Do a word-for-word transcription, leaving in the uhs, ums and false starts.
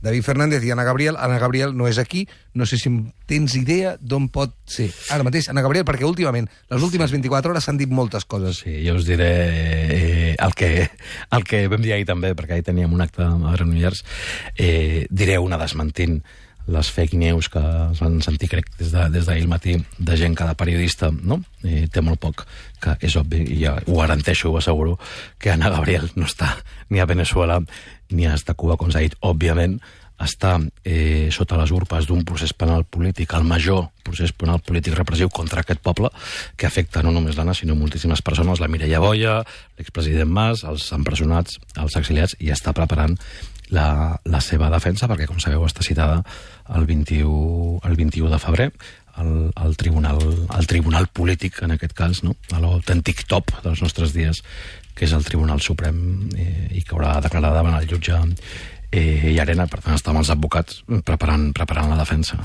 David Fernández i Ana Gabriel. Ana Gabriel no és aquí, no sé si tens idea d'on pot ser. Ara mateix, Ana Gabriel, perquè últimament, les últimes vint-i-quatre hores s'han dit moltes coses. Sí, jo us diré eh, el, que, el que vam dir ahir també, perquè ahir teníem un acte a Granollers, eh, diré una desmentint les fake news que es van sentir, crec, des d'ahir de, al matí, de gent que de periodista, no? Eh, té molt poc, que és obvi, i ja ho garanteixo, ho asseguro, que Ana Gabriel no està ni a Venezuela ni a Cuba, com s'ha dit, òbviament, està eh, sota les urpes d'un procés penal polític, el major procés penal polític repressiu contra aquest poble, que afecta no només l'Anna, sinó moltíssimes persones, la Mireia Boya, l'expresident Mas, els empresonats, els exiliats, i està preparant la, la seva defensa, perquè, com sabeu, està citada el vint-i-u, el vint-i-u de febrer, al, al, tribunal, al tribunal polític, en aquest cas, no? A l'autèntic top dels nostres dies, que és el Tribunal Suprem, eh, i que haurà de declarar davant el jutge eh, Llarena. Per tant, està amb els advocats preparant, preparant la defensa.